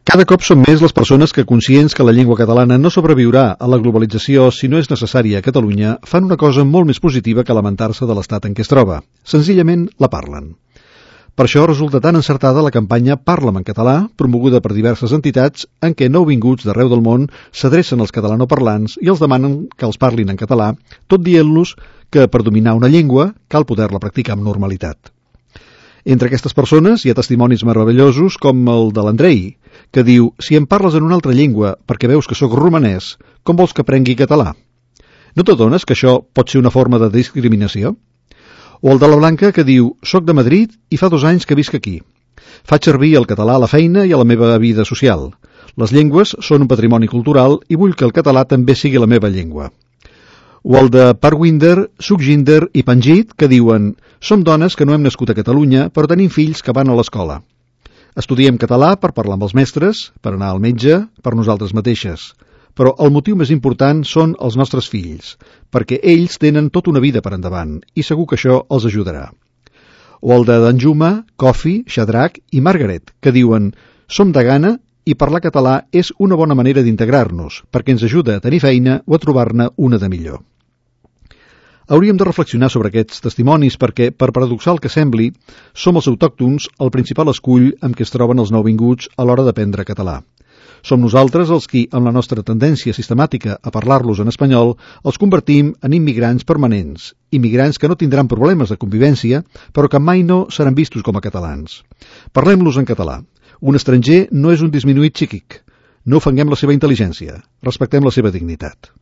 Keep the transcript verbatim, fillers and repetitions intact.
Cada cop són més les persones que, conscients que la llengua catalana no sobreviurà a la globalització si no és necessària a Catalunya, fan una cosa molt més positiva que lamentar-se de l'estat en què es troba. Senzillament la parlen. Per això resulta tan encertada la campanya Parla'm en català, promoguda per diverses entitats, en què nouvinguts d'arreu del món s'adrecen als catalanoparlants i els demanen que els parlin en català, tot dient-los que per dominar una llengua cal poder-la practicar amb normalitat. Entre aquestes persones hi ha testimonis meravellosos com el de l'Andrei, que diu: si em parles en una altra llengua perquè veus que sóc romanès, com vols que aprengui català? No t'adones que això pot ser una forma de discriminació? O el de la Blanca, que diu: soc de Madrid i fa dos anys que visc aquí. Faig servir el català a la feina i a la meva vida social. Les llengües són un patrimoni cultural i vull que el català també sigui la meva llengua. O el de Parwinder, Sukhjinder i Panjit, que diuen: som dones que no hem nascut a Catalunya, però tenim fills que van a l'escola. Estudiem català per parlar amb els mestres, per anar al metge, per nosaltres mateixes. Però el motiu més important són els nostres fills, perquè ells tenen tota una vida per endavant i segur que això els ajudarà. O el de Danjuma, Kofi, Shadrach i Margaret, que diuen: som de Ghana i parlar català és una bona manera d'integrar-nos, perquè ens ajuda a tenir feina o a trobar-ne una de millor. Hauríem de reflexionar sobre aquests testimonis perquè, per paradoxal que sembli, som els autòctons el principal escull amb què es troben els nouvinguts a l'hora d'aprendre català. Som nosaltres els qui, amb la nostra tendència sistemàtica a parlar-los en espanyol, els convertim en immigrants permanents, immigrants que no tindran problemes de convivència, però que mai no seran vistos com a catalans. Parlem-los en català. Un estranger no és un disminuït psíquic. No ofenguem la seva intel·ligència. Respectem la seva dignitat.